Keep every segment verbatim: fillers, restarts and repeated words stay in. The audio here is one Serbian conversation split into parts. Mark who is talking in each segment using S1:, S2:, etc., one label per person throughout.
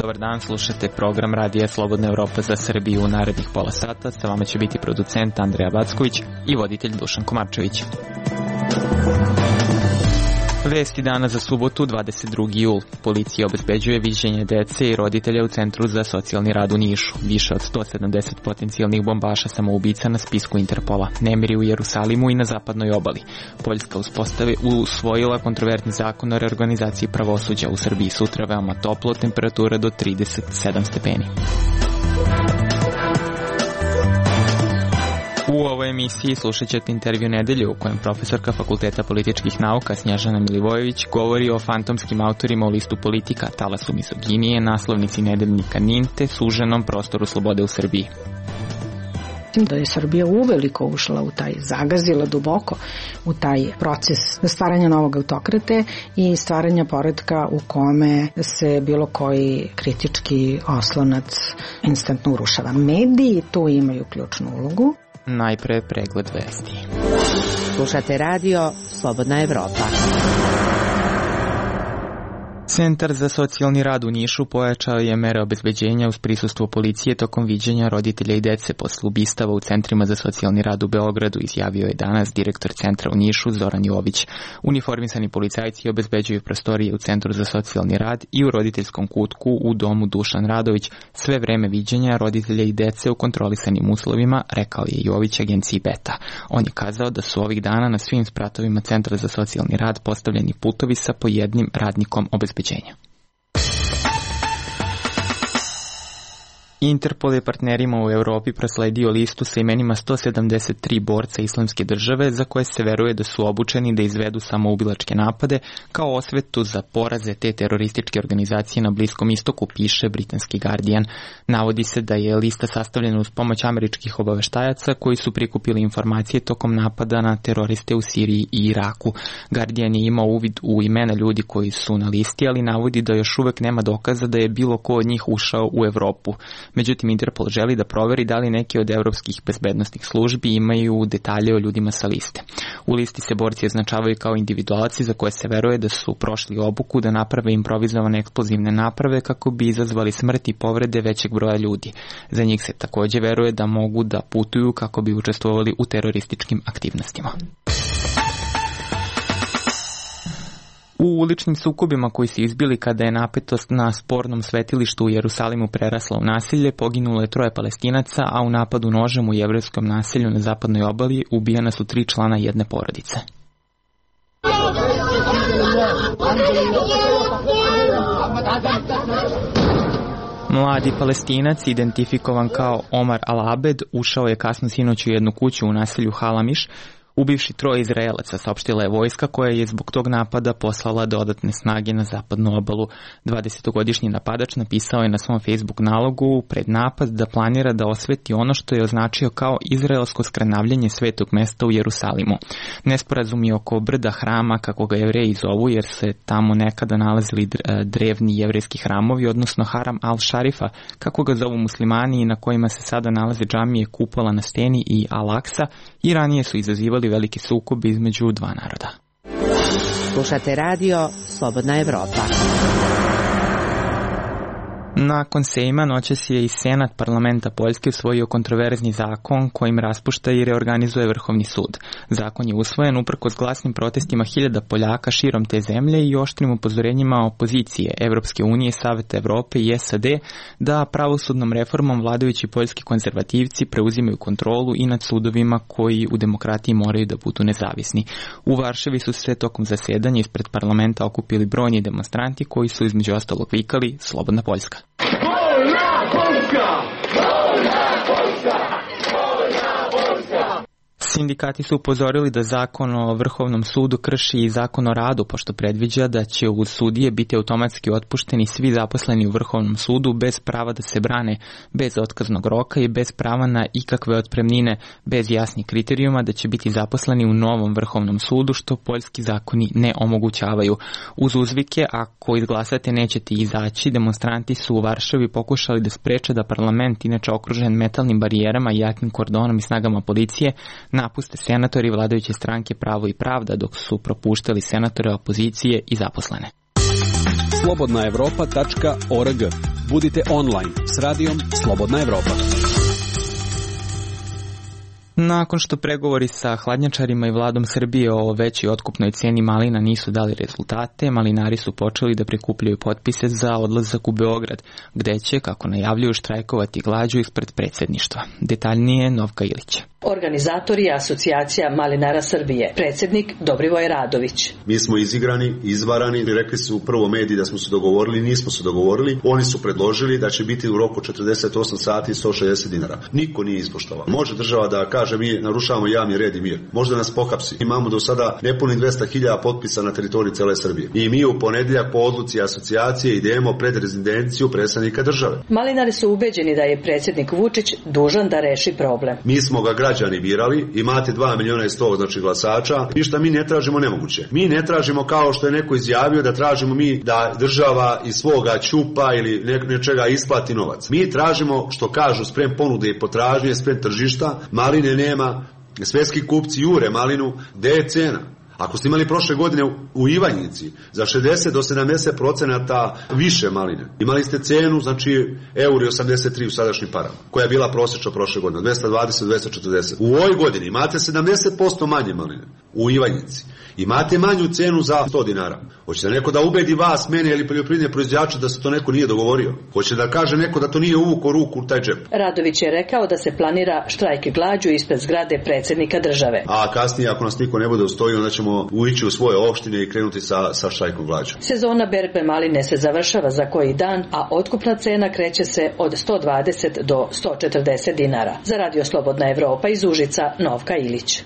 S1: Dobar dan, slušate program Radija Slobodna Evropa za Srbiju. U narednih pola sata sa vama će biti producent Andreja Backović i voditelj Dušan Komarčević. Vesti dana za subotu, dvadeset drugi jul. Policija obezbeđuje viđenje dece i roditelja u Centru za socijalni rad u Nišu. Više od sto sedamdeset potencijalnih bombaša samoubica na spisku Interpola. Nemiri u Jerusalimu i na zapadnoj obali. Poljska usvojila kontroverzni zakon o reorganizaciji pravosuđa. U Srbiji sutra veoma toplo, temperatura do trideset sedam stepeni. U ovoj emisiji slušat ćete intervju nedelje u kojem profesorka Fakulteta političkih nauka Snježana Milivojević govori o fantomskim autorima u listu Politika, talasu mizoginije, naslovnici nedeljnika NIN te suženom prostoru slobode u Srbiji.
S2: Da je Srbija uveliko ušla u taj, zagazila duboko u taj proces stvaranja novog autokrate i stvaranja poretka u kome se bilo koji kritički oslonac instantno urušava. Mediji tu imaju ključnu ulogu.
S1: Najpre pregled vesti.
S3: Slušate radio Slobodna Evropa.
S1: Centar za socijalni rad u Nišu pojačao je mere obezbeđenja uz prisustvo policije tokom viđenja roditelja i dece posle ubistava u centrima za socijalni rad u Beogradu, izjavio je danas direktor centra u Nišu Zoran Jović. Uniformisani policajci obezbeđuju prostorije u Centru za socijalni rad i u roditeljskom kutku u domu Dušan Radović sve vreme viđenja roditelja i dece u kontrolisanim uslovima, rekao je Jović agenciji Beta. On je kazao da su ovih dana na svim spratovima Centra za socijalni rad postavljeni putovi sa po jednim radnikom obezbeđenja. Interpol je partnerima u Evropi prosledio listu sa imenima sto sedamdeset tri borca Islamske države za koje se veruje da su obučeni da izvedu samoubilačke napade kao osvetu za poraze te terorističke organizacije na Bliskom istoku, piše britanski Guardian. Navodi se da je lista sastavljena uz pomoć američkih obaveštajaca koji su prikupili informacije tokom napada na teroriste u Siriji i Iraku. Guardian je imao uvid u imena ljudi koji su na listi, ali navodi da još uvek nema dokaza da je bilo ko od njih ušao u Evropu. Međutim, Interpol želi da proveri da li neki od evropskih bezbednostnih službi imaju detalje o ljudima sa liste. U listi se borci označavaju kao individualci za koje se veruje da su prošli obuku da naprave improvizovane eksplozivne naprave kako bi izazvali smrt i povrede većeg broja ljudi. Za njih se takođe veruje da mogu da putuju kako bi učestvovali u terorističkim aktivnostima. U uličnim sukobima koji su izbili kada je napetost na spornom svetilištu u Jerusalimu prerasla u nasilje, poginulo je troje Palestinaca, a u napadu nožem u jevrejskom naselju na zapadnoj obali ubijena su tri člana jedne porodice. Mladi Palestinac, identifikovan kao Omar Al-Abed, ušao je kasno sinoć u jednu kuću u naselju Halamiš, ubivši troje Izraelaca, saopštila je vojska koja je zbog tog napada poslala dodatne snage na zapadnu obalu. dvadesetogodišnji napadač napisao je na svom Facebook nalogu pred napad da planira da osveti ono što je označio kao izraelsko skrnavljanje svetog mesta u Jerusalimu. Nesporazum je oko brda hrama, kako ga Jevreji zovu, jer se tamo nekada nalazili drevni jevrejski hramovi, odnosno Haram al-Šarifa, kako ga zovu muslimani, i na kojima se sada nalaze džamije, kupola na steni i Al-Aksa, i ranije su izazivali veliki sukob između dva naroda.
S3: Slušate radio Slobodna Evropa.
S1: Nakon Sejma noćas je i Senat parlamenta Poljske usvojio kontroverzni zakon kojim raspušta i reorganizuje Vrhovni sud. Zakon je usvojen uprkos glasnim protestima hiljada Poljaka širom te zemlje i oštrim upozorenjima opozicije Evropske unije, Saveta Evrope i S A D da pravosudnom reformom vladajući poljski konzervativci preuzimaju kontrolu i nad sudovima koji u demokratiji moraju da budu nezavisni. U Varšavi su se tokom zasedanja ispred parlamenta okupili brojni demonstranti koji su između ostalog vikali Slobodna Poljska. Sindikati su upozorili da zakon o Vrhovnom sudu krši i zakon o radu, pošto predviđa da će uz sudije biti automatski otpušteni svi zaposleni u Vrhovnom sudu bez prava da se brane, bez otkaznog roka i bez prava na ikakve otpremnine, bez jasnih kriterijuma da će biti zaposleni u novom Vrhovnom sudu, što poljski zakoni ne omogućavaju. Uz uzvike, ako izglasate nećete izaći, demonstranti su u Varšavi pokušali da spreče da parlament, inače okružen metalnim barijerama i jakim kordonom i snagama policije, napuste senatori vladajuće stranke Pravo i pravda, dok su propuštali senatore opozicije i zaposlene.
S4: slobodna evropa tačka org. Budite online s radijom Slobodna Evropa.
S1: Nakon što pregovori sa hladnjačarima i vladom Srbije o većoj otkupnoj ceni malina nisu dali rezultate, malinari su počeli da prikupljaju potpise za odlazak u Beograd, gde će, kako najavljuju, štrajkovati glađu ispred predsjedništva. Detaljnije Novka Ilić.
S5: Organizator je Asocijacija malinara Srbije, predsjednik Dobrivoj Radović.
S6: Mi smo izigrani, izvarani, rekli su u prvo mediji da smo se dogovorili, nismo se dogovorili. Oni su predložili da će biti u roku četrdeset osam sati sto šezdeset dinara. Niko nije ispoštovao. Može država da kaže mi narušavamo javni red i mir. Možda nas pohapsi. Imamo do sada nepuni dvesta hiljada potpisa na teritoriji cele Srbije. I mi u ponedjeljak po odluci asocijacije idemo pred rezidenciju predstavnika države.
S5: Malinari su ubeđeni da je predsjednik Vučić dužan da reši problem.
S6: Mi smo ga građani birali, imate dva miliona i sto znači glasača, ništa mi ne tražimo nemoguće. Mi ne tražimo kao što je neko izjavio da tražimo mi da država iz svoga ćupa ili nečega isplati novac. Mi tražimo što kažu sprem ponude i potražnje, sprem tržišta, maline nema, svetski kupci jure malinu, gde je cena? Ako ste imali prošle godine u Ivanjici za šezdeset do sedamdeset procenata više maline, imali ste cenu, znači euro osamdeset tri u sadašnjim parama, koja je bila prosječna prošle godine, dvesta dvadeset do dvesta četrdeset. U ovoj godini imate sedamdeset posto manje maline u Ivanjici. Imate manju cenu za sto dinara. Hoće da neko da ubedi vas, mene ili poljoprivredne proizvođače da se to neko nije dogovorio? Hoće da kaže neko da to nije uvuko ruku u taj džep?
S5: Radović je rekao da se planira štrajk glađu ispred zgrade predsjednika države.
S6: A kasnije ako nas niko ne bude ustoji, onda ćemo uići u svoje opštine i krenuti sa, sa štrajkom glađu.
S5: Sezona berbe maline se završava za koji dan, a otkupna cena kreće se od sto dvadeset do sto četrdeset dinara. Za Radio Slobodna Evropa iz Užica, Novka Ilić.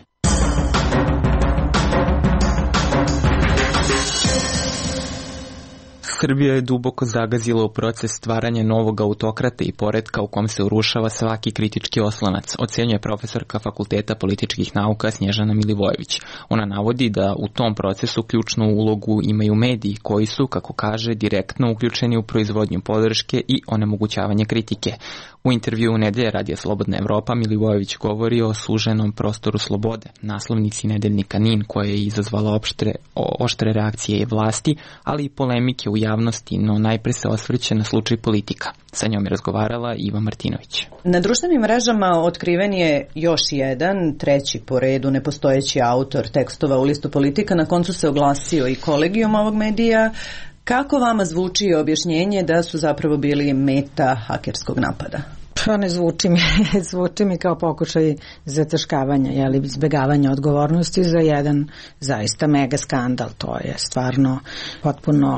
S1: Srbija je duboko zagazila u proces stvaranja novog autokrata i poretka u kom se urušava svaki kritički oslonac, ocenjuje profesorka Fakulteta političkih nauka Snježana Milivojević. Ona navodi da u tom procesu ključnu ulogu imaju mediji koji su, kako kaže, direktno uključeni u proizvodnju podrške i onemogućavanje kritike. U intervju u Nedelje Radija Slobodna Evropa Milivojević govori o suženom prostoru slobode, naslovnici nedeljnika NIN koja je izazvala opštre, oštre reakcije vlasti, ali i polemike u javnosti, no najpre se osvrće na slučaj Politika. Sa njom je razgovarala Iva Martinović.
S7: Na društvenim mrežama otkriven je još jedan, treći po redu nepostojeći autor tekstova u listu Politika. Na koncu se oglasio i kolegijum ovog medija. Kako vama zvuči objašnjenje da su zapravo bili meta hakerskog napada?
S2: Pa ne zvuči mi, zvuči mi kao pokušaj zataškavanja, jeli, izbjegavanja odgovornosti za jedan zaista mega skandal. To je stvarno potpuno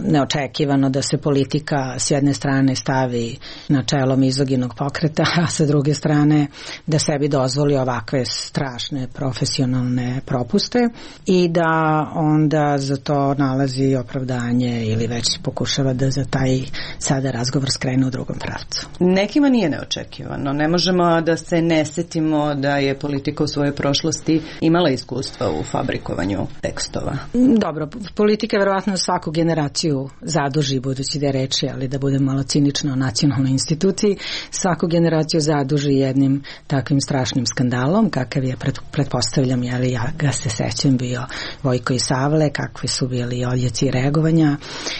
S2: neočekivano da se politika s jedne strane stavi na čelo mizoginog pokreta, a sa druge strane da sebi dozvoli ovakve strašne profesionalne propuste i da onda za to nalazi opravdanje ili već pokušava da za taj sada razgovor skrene u drugom pravcu.
S7: Nekima nije neočekivano. Ne možemo da se ne setimo da je Politika u svojoj prošlosti imala iskustva u fabrikovanju tekstova.
S2: Dobro, Politika verovatno svaku generaciju zaduži, budući da je reči, ali da budem malo cinična o nacionalnoj instituciji, svaku generaciju zaduži jednim takvim strašnim skandalom, kakav je, pred, pretpostavljam, jeli, ja ga se sećam, bio Vojko i Savle, kakvi su bili odjeci reagovanja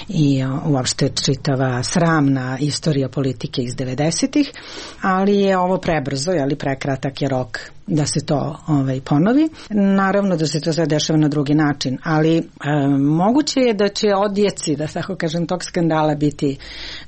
S2: i uopšte čitava sramna istorija politike iz devedesetih, ali je ovo prebrzo, ali prekratak je rok da se to ovaj, ponovi. Naravno da se to sve dešava na drugi način, ali e, moguće je da će odjeci, da tako kažem, tog skandala biti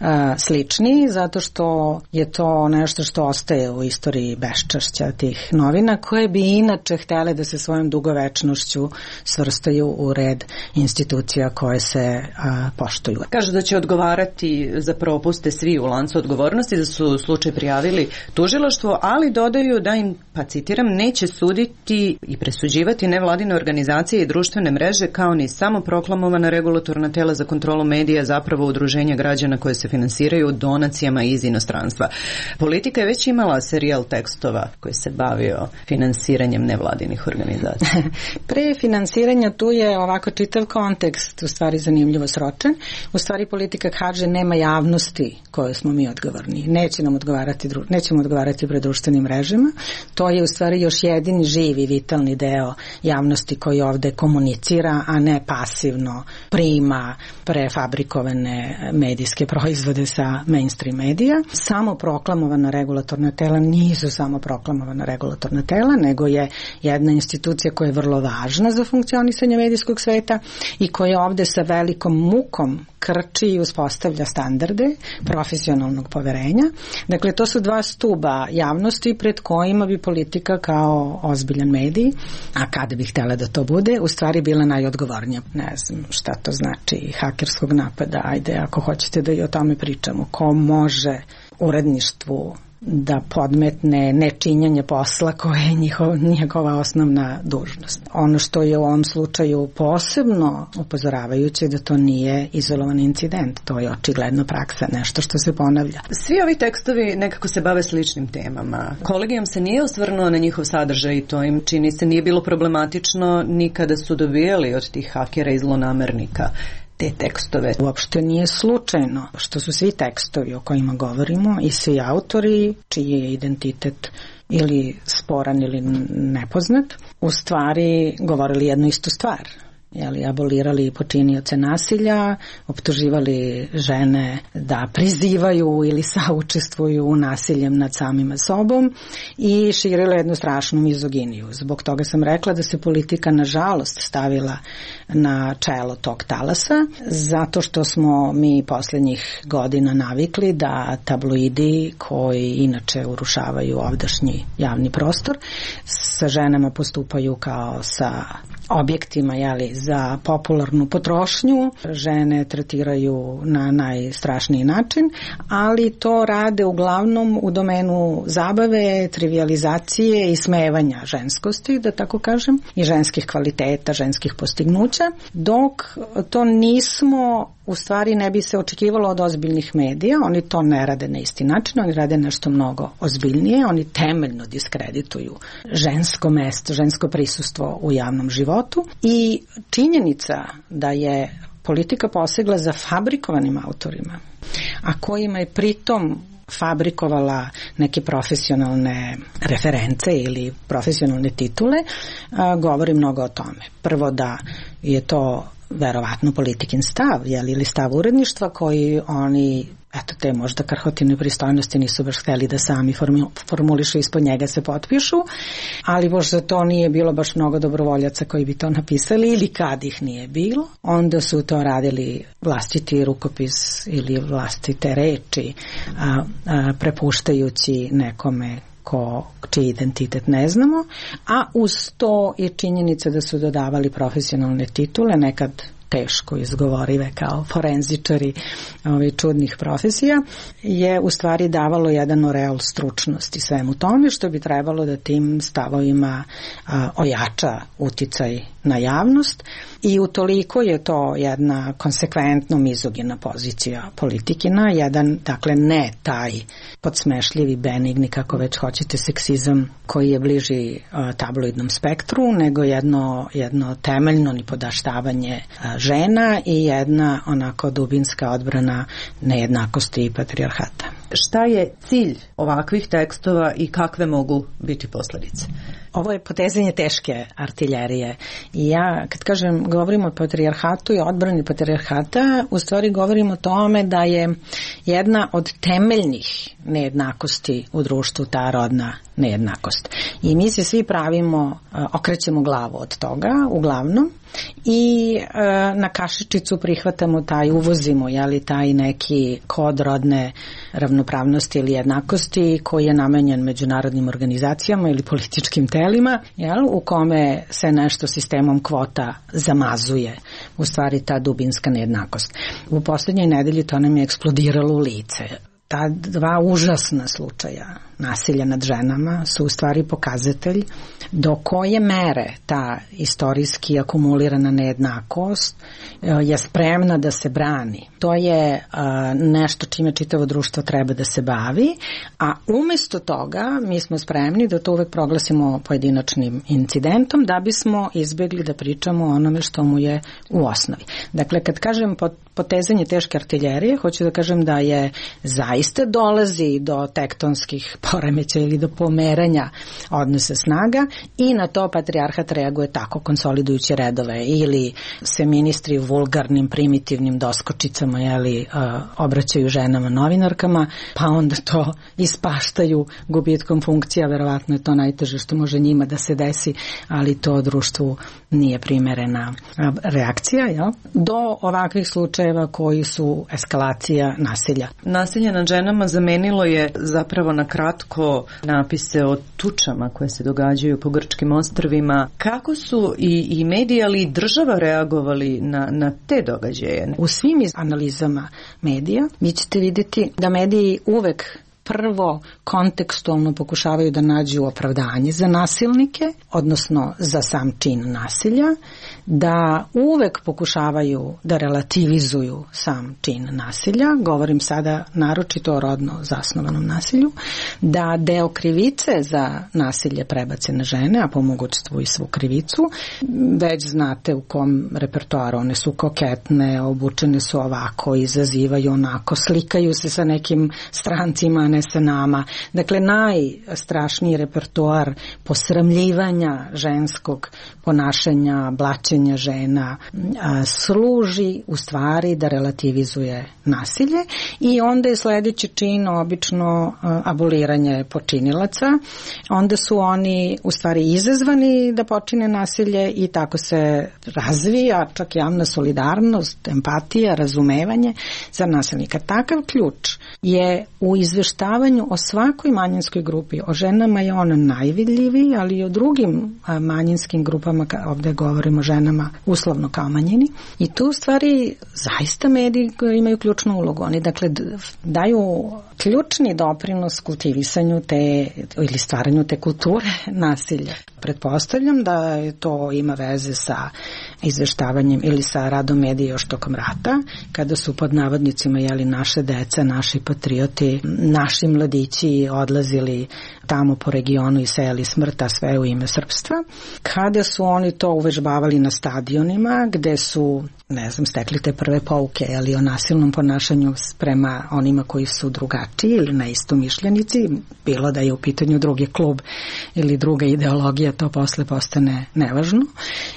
S2: e, slični, zato što je to nešto što ostaje u istoriji beščašća tih novina, koje bi inače htjele da se svojom dugovečnošću svrstaju u red institucija koje se a, poštuju.
S7: Kažu da će odgovarati za propuste svi u lancu odgovornosti, da su slučaj prijavili tužilaštvo, ali dodaju da im, pa citiram, citiram, neće suditi i presuđivati nevladine organizacije i društvene mreže kao ni samo proklamovana regulatorna tela za kontrolu medija, zapravo udruženja građana koje se finansiraju donacijama iz inostranstva. Politika je već imala serijal tekstova koji se bavio finansiranjem nevladinih organizacija.
S2: Pre finansiranja tu je ovako čitav kontekst u stvari zanimljivo sročen. U stvari politika kaže nema javnosti koje smo mi odgovorni. Neće nam odgovarati, nećemo odgovarati pred društvenim mrežama. To je u stvari još jedini živi, vitalni deo javnosti koji ovde komunicira, a ne pasivno prima prefabrikovane medijske proizvode sa mainstream medija. Samo proklamovana regulatorna tela nisu samo proklamovana regulatorna tela, nego je jedna institucija koja je vrlo važna za funkcionisanje medijskog sveta i koja ovde sa velikom mukom krči i uspostavlja standarde profesionalnog poverenja. Dakle, to su dva stuba javnosti pred kojima bi politika kao ozbiljan medij, a kada bi htjela da to bude, u stvari bila najodgovornija. Ne znam šta to znači hakerskog napada, ajde ako hoćete da i o tome pričamo. Ko može uredništvu da podmetne nečinjanje posla koje je njihov, njegova osnovna dužnost. Ono što je u ovom slučaju posebno upozoravajuće da to nije izolovan incident, to je očigledno praksa, nešto što se ponavlja.
S7: Svi ovi tekstovi nekako se bave sličnim temama. Kolegijum se nije osvrnuo na njihov sadržaj i to im čini se nije bilo problematično ni kada su dobijali od tih hakera i zlonamernika te tekstove.
S2: Uopšte nije slučajno što su svi tekstovi o kojima govorimo i svi autori čiji je identitet ili sporan ili nepoznat, u stvari govorili jednu istu stvar. Jeli, abolirali počinioce nasilja, optuživali žene da prizivaju ili saučestvuju nasiljem nad samima sobom i širile jednu strašnu mizoginiju. Zbog toga sam rekla da se politika nažalost stavila na čelo tog talasa, zato što smo mi posljednjih godina navikli da tabloidi koji inače urušavaju ovdašnji javni prostor sa ženama postupaju kao sa objektima, jeli, za popularnu potrošnju. Žene tretiraju na najstrašniji način, ali to rade uglavnom u domenu zabave, trivializacije i smevanja ženskosti, da tako kažem, i ženskih kvaliteta, ženskih postignuća, dok to nismo, u stvari ne bi se očekivalo od ozbiljnih medija. Oni to ne rade na isti način, oni rade nešto mnogo ozbiljnije, oni temeljno diskredituju žensko mesto, žensko prisustvo u javnom životu i činjenica da je politika posegla za fabrikovanim autorima, a kojima je pritom fabrikovala neke profesionalne reference ili profesionalne titule, a, govori mnogo o tome. Prvo da je to verovatno politikin stav, jel, ili stav uredništva koji oni, eto, te možda krhotine pristojnosti nisu baš hteli da sami formulišu, ispod njega se potpišu, ali možda to nije bilo baš mnogo dobrovoljaca koji bi to napisali, ili kad ih nije bilo, onda su to radili vlastiti rukopis ili vlastite reči, a, a, prepuštajući nekome ko, čiji identitet ne znamo, a uz to i činjenica da su dodavali profesionalne titule, nekad teško izgovorive kao forenzičari ovih čudnih profesija, je u stvari davalo jedan oreol stručnosti svemu tome, što bi trebalo da tim stavovima a, ojača uticaj na javnost i utoliko je to jedna konsekventno mizogina pozicija politikina, jedan, dakle, ne taj podsmešljivi, benigni, kako već hoćete, seksizam koji je bliži a, tabloidnom spektru, nego jedno, jedno temeljno nipodaštavanje a, žena i jedna onako dubinska odbrana nejednakosti i patrijarhata.
S7: Šta je cilj ovakvih tekstova i kakve mogu biti posledice?
S2: Ovo je potezanje teške artiljerije i ja kad kažem govorimo o patrijarhatu i odbrani patrijarhata, u stvari govorimo o tome da je jedna od temeljnih nejednakosti u društvu ta rodna nejednakost. I mi se svi pravimo, okrećemo glavu od toga, uglavnom, i e, na kašičicu prihvatamo taj, uvozimo, jeli, taj neki kod rodne ravnopravnosti ili jednakosti koji je namenjen međunarodnim organizacijama ili političkim telima, jel, u kome se nešto sistemom kvota zamazuje, u stvari ta dubinska nejednakost. U posljednjoj nedelji to nam je eksplodiralo u lice. Ta dva užasna slučaja nasilja nad ženama su u stvari pokazatelj do koje mere ta istorijski akumulirana nejednakost je spremna da se brani. To je nešto čime čitavo društvo treba da se bavi, a umesto toga mi smo spremni da to uvek proglasimo pojedinačnim incidentom da bismo izbegli da pričamo o onome što mu je u osnovi. Dakle, kad kažem potezanje teške artiljerije, hoću da kažem da je zaista dolazi do tektonskih poremećaja ili do pomeranja odnosa snaga i na to patrijarhat reaguje tako, konsolidujući redove, ili se ministri vulgarnim, primitivnim doskočicama jeli, obraćaju ženama novinarkama, pa onda to ispaštaju gubitkom funkcija, verovatno je to najteže što može njima da se desi, ali to društvu nije primerena reakcija, jel? Do ovakvih slučajeva koji su eskalacija nasilja.
S7: Nasilje nad ženama zamenilo je zapravo na kratko napise o tučama koje se događaju po grčkim ostrvima. Kako su i, i mediji, ali i država reagovali na, na te događaje?
S2: U svim analizama medija vi ćete vidjeti da mediji uvek prvo kontekstualno pokušavaju da nađu opravdanje za nasilnike, odnosno za sam čin nasilja, da uvek pokušavaju da relativizuju sam čin nasilja, govorim sada naročito o rodno zasnovanom nasilju, da deo krivice za nasilje prebace na žene, a po mogućstvu i svu krivicu. Već znate u kom repertoaru, one su koketne, obučene su ovako, izazivaju onako, slikaju se sa nekim strancima, ne sa nama. Dakle, najstrašniji repertoar posramljivanja ženskog ponašanja, blaćenja žena a, služi u stvari da relativizuje nasilje i onda je sledeći čin obično a, aboliranje počinilaca. Onda su oni u stvari izazvani da počine nasilje i tako se razvija čak javna solidarnost, empatija, razumevanje za nasilnika. Takav ključ je u izveštavanju o svakoj manjinskoj grupi. O ženama je on najvidljiviji, ali i o drugim manjinskim grupama, ovde govorimo o ženama uslovno kao manjini. I tu u stvari zaista mediji imaju ključnu ulogu. Oni dakle daju ključni doprinos kultivisanju te ili stvaranju te kulture nasilja. Pretpostavljam da to ima veze sa izveštavanjem ili sa radom medija još tokom rata, kada su pod navodnicima jeli naše deca, naši patrioti, naši mladići odlazili tamo po regionu i sejali smrt, a sve u ime srpstva. Kada su oni to uvežbavali na stadionima, gde su, ne znam, stekli te prve pouke, ali o nasilnom ponašanju prema onima koji su drugačiji ili neistomišljenici, bilo da je u pitanju drugi klub ili druga ideologija, to posle postane nevažno.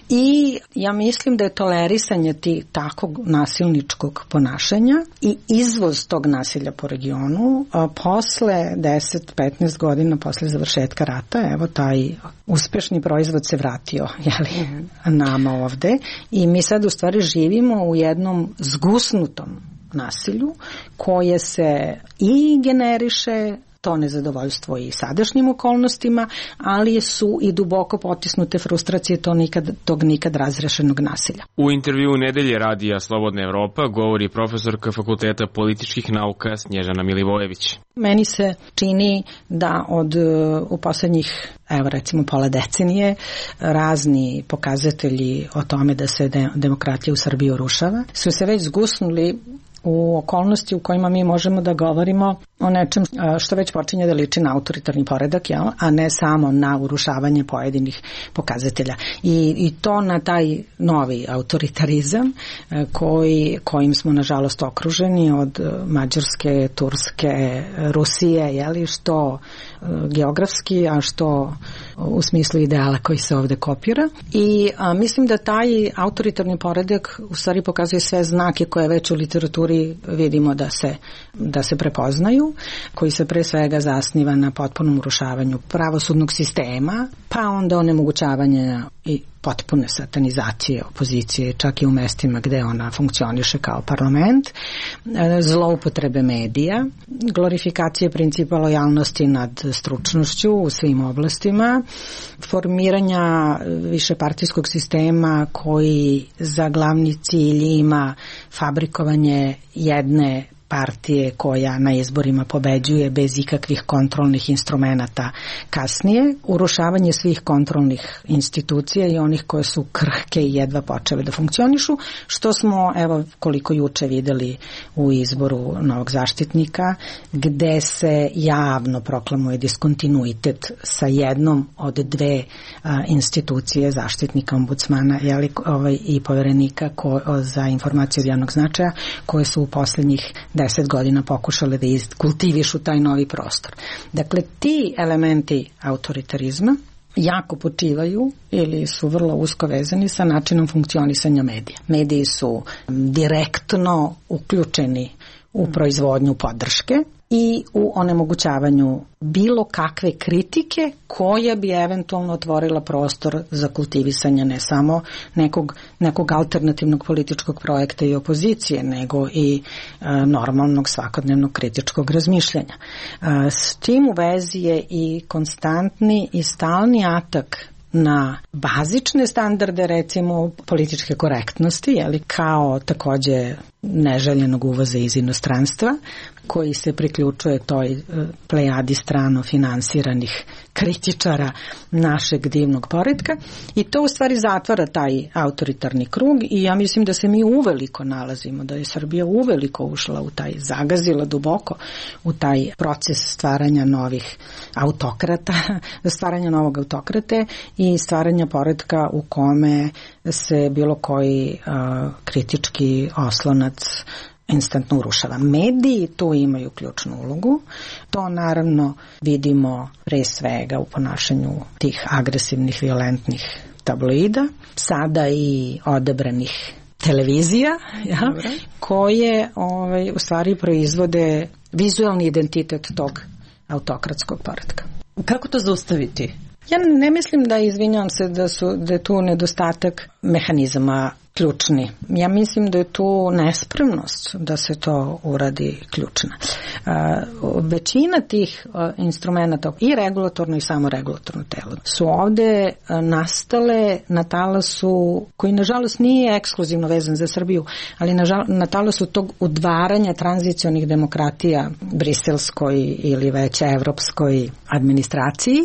S2: I ja mislim da je tolerisanje ti takog nasilničkog ponašanja i izvoz tog nasilja po regionu a posle deset do petnaest godina posle završetka rata, evo taj uspešni proizvod se vratio jeli, nama ovde i mi sad u stvari živimo u jednom zgusnutom nasilju koje se i generiše to nezadovoljstvo i sadašnjim okolnostima, ali su i duboko potisnute frustracije to nikad, tog nikad razrešenog nasilja.
S8: U intervju nedelje radija Slobodna Evropa govori profesorka Fakulteta političkih nauka Snježana Milivojević.
S2: Meni se čini da od u poslednjih, evo recimo pola decenije, razni pokazatelji o tome da se de, demokratija u Srbiji urušava su se već zgusnuli u okolnosti u kojima mi možemo da govorimo o nečem što već počinje da liči na autoritarni poredak, jel? A ne samo na urušavanje pojedinih pokazatelja. I, i to na taj novi autoritarizam koji, kojim smo nažalost okruženi od Mađarske, Turske, Rusije, jeli, što geografski, a što u smislu ideala koji se ovde kopira. I a, mislim da taj autoritarni poredak u stvari pokazuje sve znake koje već u literaturi vidimo da se, da se prepoznaju, koji se pre svega zasniva na potpunom urušavanju pravosudnog sistema, pa onda onemogućavanje i potpune satanizacije opozicije, čak i u mestima gde ona funkcioniše kao parlament, zloupotrebe medija, glorifikacije principa lojalnosti nad stručnošću u svim oblastima, formiranja višepartijskog sistema koji za glavni cilj ima fabrikovanje jedne partije koja na izborima pobeđuje bez ikakvih kontrolnih instrumenata kasnije, urušavanje svih kontrolnih institucija i onih koje su krhke i jedva počele da funkcionišu, što smo, evo, koliko juče videli u izboru novog zaštitnika, gde se javno proklamuje diskontinuitet sa jednom od dve a, institucije, zaštitnika, ombudsmana, jeli, ovaj, i poverenika ko, o, za informacije od javnog značaja, koje su u poslednjih deset godina pokušale da kultivišu taj novi prostor. Dakle, ti elementi autoritarizma jako počivaju ili su vrlo usko vezani sa načinom funkcionisanja medija. Mediji su direktno uključeni u proizvodnju podrške i u onemogućavanju bilo kakve kritike koja bi eventualno otvorila prostor za kultivisanje ne samo nekog, nekog alternativnog političkog projekta i opozicije, nego i e, normalnog svakodnevnog kritičkog razmišljanja. E, s tim u vezi je i konstantni i stalni atak na bazične standarde, recimo političke korektnosti, jeli, kao takođe neželjenog uvoza iz inostranstva, koji se priključuje toj plejadi strano finansiranih kritičara našeg divnog poretka, i to u stvari zatvara taj autoritarni krug i ja mislim da se mi uveliko nalazimo, da je Srbija uveliko ušla u taj, zagazila duboko u taj proces stvaranja novih autokrata, stvaranja novog autokrate i stvaranja poretka u kome se bilo koji uh, kritički oslonac instantno urušava. Mediji tu imaju ključnu ulogu. To naravno vidimo pre svega u ponašanju tih agresivnih, violentnih tabloida, sada i odabranih televizija, ja, koje ovaj, u stvari proizvode vizualni identitet tog autokratskog poretka.
S7: Kako to zaustaviti?
S2: Ja ne mislim da, izvinjavam se, da, su, da je tu nedostatak mehanizama ključni. Ja mislim da je tu nespremnost da se to uradi ključna. Uh, većina tih uh, instrumenta i regulatorno i samoregulatorno telo su ovde uh, nastale na talasu koji nažalost nije ekskluzivno vezan za Srbiju, ali nažal, na talasu tog udvaranja tranzicionih demokratija briselskoj ili već evropskoj administraciji,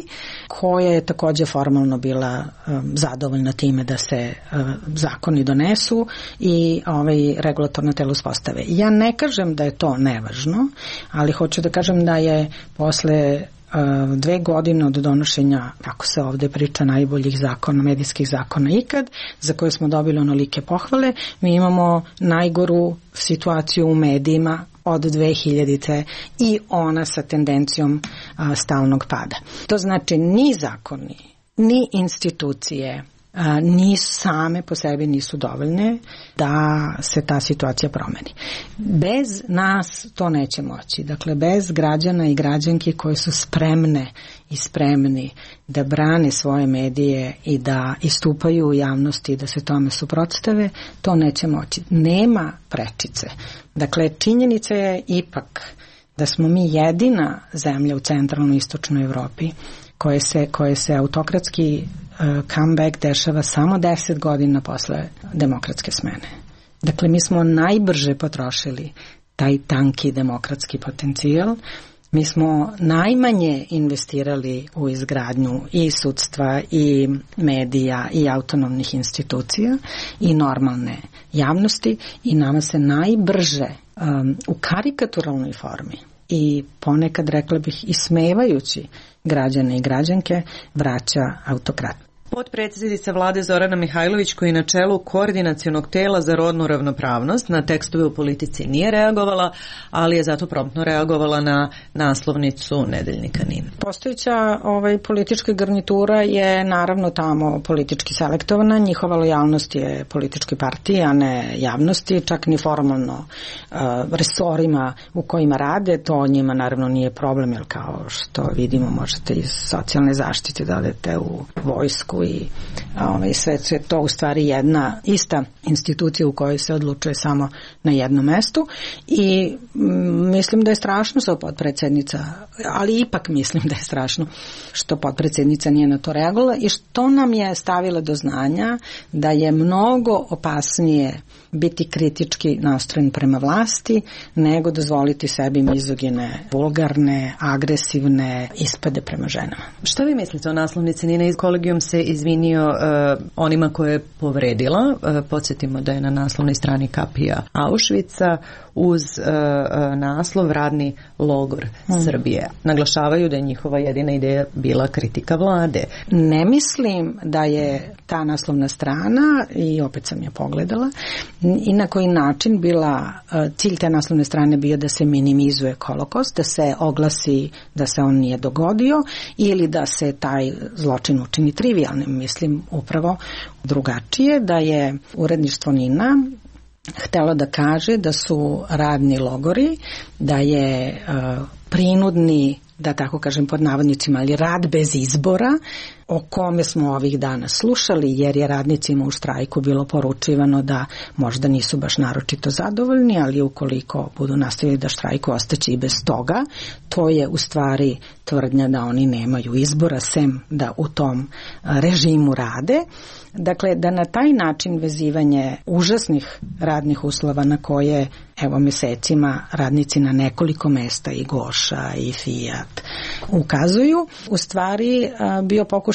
S2: koja je takođe formalno bila um, zadovoljna time da se uh, zakoni donesu i ovaj regulatorno telo uspostave. Ja ne kažem da je to nevažno, ali hoću da kažem da je posle uh, dve godine od donošenja, kako se ovde priča, najboljih zakona, medijskih zakona ikad, za koje smo dobili onolike pohvale, mi imamo najgoru situaciju u medijima od dve hiljadite i ona sa tendencijom a, stalnog pada. To znači ni zakoni, ni institucije a, nisu same po sebi nisu dovoljne da se ta situacija promeni. Bez nas to neće moći. Dakle, bez građana i građanki koji su spremne i spremni da brane svoje medije i da istupaju u javnosti i da se tome suprotstave, to neće moći. Nema prečice. Dakle, činjenica je ipak da smo mi jedina zemlja u centralnoj i istočnoj Evropi koje se, koje se autokratski uh, comeback dešava samo deset godina posle demokratske smene. Dakle, mi smo najbrže potrošili taj tanki demokratski potencijal. Mi smo najmanje investirali u izgradnju i sudstva i medija i autonomnih institucija i normalne javnosti i nama se najbrže um, u karikaturalnoj formi i ponekad, rekla bih, ismevajući građane i građanke, vraća autokrat.
S7: Potpredsjednica vlade Zorana Mihajlović, koji je na čelu koordinacionog tela za rodnu ravnopravnost, na tekstove u politici nije reagovala, ali je zato promptno reagovala na naslovnicu nedeljnika NIN.
S2: Postojeća ovaj, politička garnitura je naravno tamo politički selektovana, njihova lojalnost je političkoj partiji, a ne javnosti, čak ni formalno uh, resorima u kojima rade, to njima naravno nije problem, jer kao što vidimo možete iz socijalne zaštite da odete u vojsku i ovaj, sve je to u stvari jedna ista institucija u kojoj se odlučuje samo na jednom mestu i m, mislim da je strašno što potpredsednica, ali ipak mislim da je strašno što potpredsednica nije na to reagovala i što nam je stavila do znanja da je mnogo opasnije biti kritički nastrojen prema vlasti nego dozvoliti sebi mizogine, vulgarne, agresivne ispade prema ženama.
S7: Šta vi mislite o naslovnici? Nina iz Kolegijum se izvinio uh, onima koje je povredila. Uh, podsjetimo da je na naslovnoj strani kapija Auschwitza uz uh, uh, naslov Radni logor hmm. Srbije. Naglašavaju da je njihova jedina ideja bila kritika vlade.
S2: Ne mislim da je ta naslovna strana, i opet sam je pogledala, i na koji način bila cilj te naslovne strane bio da se minimizuje holokaust, da se oglasi da se on nije dogodio ili da se taj zločin učini trivijalnim. Mislim upravo drugačije, da je uredništvo Nina htelo da kaže da su radni logori, da je uh, prinudni, da tako kažem pod navodnicima, ali rad bez izbora, o kome smo ovih dana slušali, jer je radnicima u štrajku bilo poručivano da možda nisu baš naročito zadovoljni, ali ukoliko budu nastavili da štrajku, ostaće i bez toga. To je u stvari tvrdnja da oni nemaju izbora, sem da u tom režimu rade. Dakle, da na taj način vezivanje užasnih radnih uslova na koje, evo, mesecima radnici na nekoliko mesta i Goša i Fiat ukazuju, u stvari bio pokušaj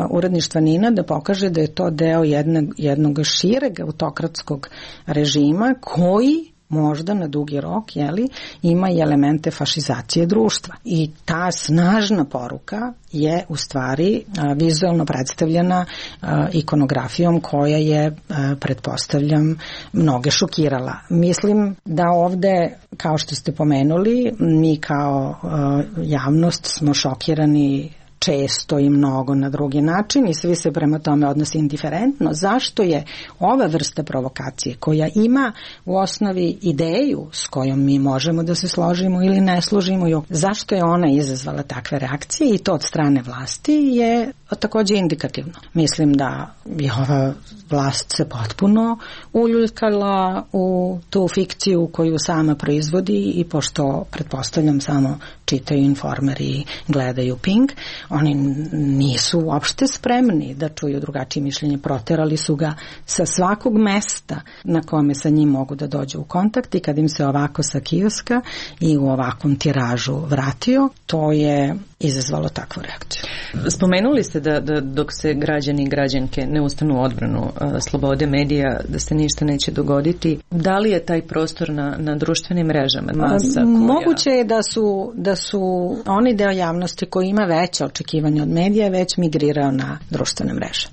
S2: uredništva Nina da pokaže da je to deo jednog, jednog šireg autokratskog režima koji možda na dugi rok, jeli, ima i elemente fašizacije društva. I ta snažna poruka je u stvari a, vizualno predstavljena a, ikonografijom koja je, a, pretpostavljam, mnoge šokirala. Mislim da ovde, kao što ste pomenuli, mi kao a, javnost smo šokirani često i mnogo na drugi način i svi se prema tome odnosi indiferentno. Zašto je ova vrsta provokacije koja ima u osnovi ideju s kojom mi možemo da se složimo ili ne složimo, zašto je ona izazvala takve reakcije i to od strane vlasti je takođe indikativno. Mislim da je ova vlast se potpuno uljuljkala u tu fikciju koju sama proizvodi i pošto, pretpostavljam, samo čitaju Informer i gledaju Pink, oni nisu uopšte spremni da čuju drugačije mišljenje. Proterali su ga sa svakog mesta na kome sa njim mogu da dođu u kontakt i kad im se ovako sa kioska i u ovakvom tiražu vratio, to je izazvalo takvu reakciju.
S7: Spomenuli ste da, da dok se građani i građanke ne ustanu u odbranu uh, slobode medija, da se ništa neće dogoditi. Da li je taj prostor na, na društvenim mrežama? Masa koja...
S2: Moguće je da su, da su oni deo javnosti koji ima veće očekivanje od medija već migrirao na društvene mreže.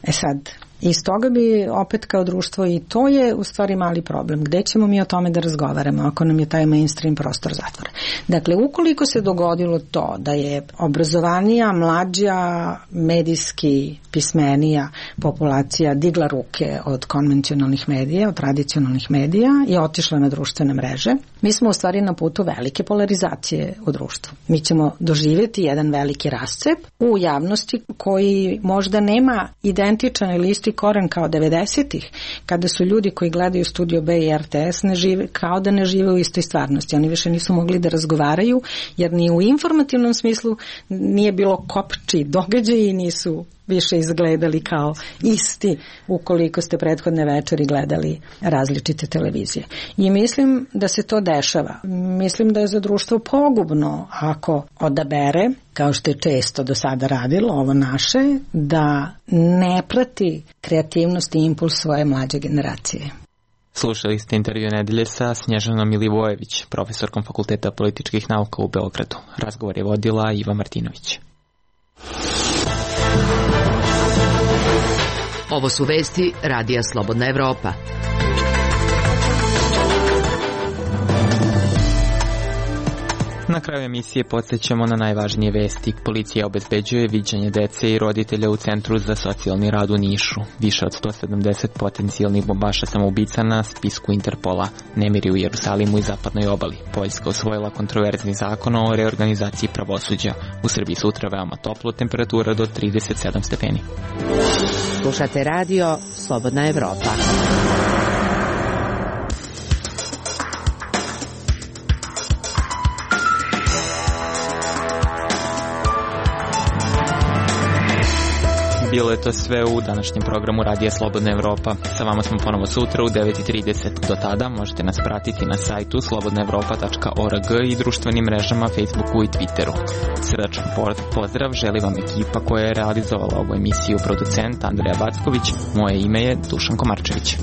S2: E sad, iz toga bi opet kao društvo, i to je u stvari mali problem. Gde ćemo mi o tome da razgovaramo ako nam je taj mainstream prostor zatvora? Dakle, ukoliko se dogodilo to da je obrazovanija, mlađa, medijski pismenija populacija digla ruke od konvencionalnih medija, od tradicionalnih medija i otišla na društvene mreže, mi smo u stvari na putu velike polarizacije u društvu. Mi ćemo doživjeti jedan veliki rascep u javnosti koji možda nema identičan ili isti koren kao devedesetih, kada su ljudi koji gledaju Studio B i R T S ne žive, kao da ne žive u istoj stvarnosti. Oni više nisu mogli da razgovaraju, jer ni u informativnom smislu nije bilo kopči događaji i nisu više izgledali kao isti ukoliko ste prethodne večeri gledali različite televizije. I mislim da se to dešava. Mislim da je za društvo pogubno ako odabere, kao što je često do sada radilo ovo naše, da ne prati kreativnost i impuls svoje mlađe generacije.
S1: Slušali ste intervju nedelje sa Snježanom Milivojević, profesorkom Fakulteta političkih nauka u Beogradu. Razgovor je vodila Iva Martinović.
S3: Ovo su vesti Radija Slobodna Evropa.
S1: Na kraju emisije podsjećamo na najvažnije vesti. Policija obezbeđuje viđanje dece i roditelja u Centru za socijalni rad u Nišu. Više od sto sedamdeset potencijalnih bombaša samoubica na spisku Interpola. Nemiri u Jerusalimu i zapadnoj obali. Poljska usvojila kontroverzni zakon o reorganizaciji pravosuđa. U Srbiji sutra veoma toplo, temperatura do trideset sedam stepeni.
S3: Slušate radio Slobodna Evropa.
S1: Bilo je to sve u današnjem programu Radija Slobodna Evropa. Sa vama smo ponovo sutra u devet i trideset. Do tada možete nas pratiti na sajtu slobodna evropa tačka org i društvenim mrežama Facebooku i Twitteru. Srdačan pozdrav želi vam ekipa koja je realizovala ovu emisiju, producent Andreja Backović. Moje ime je Dušan Komarčević.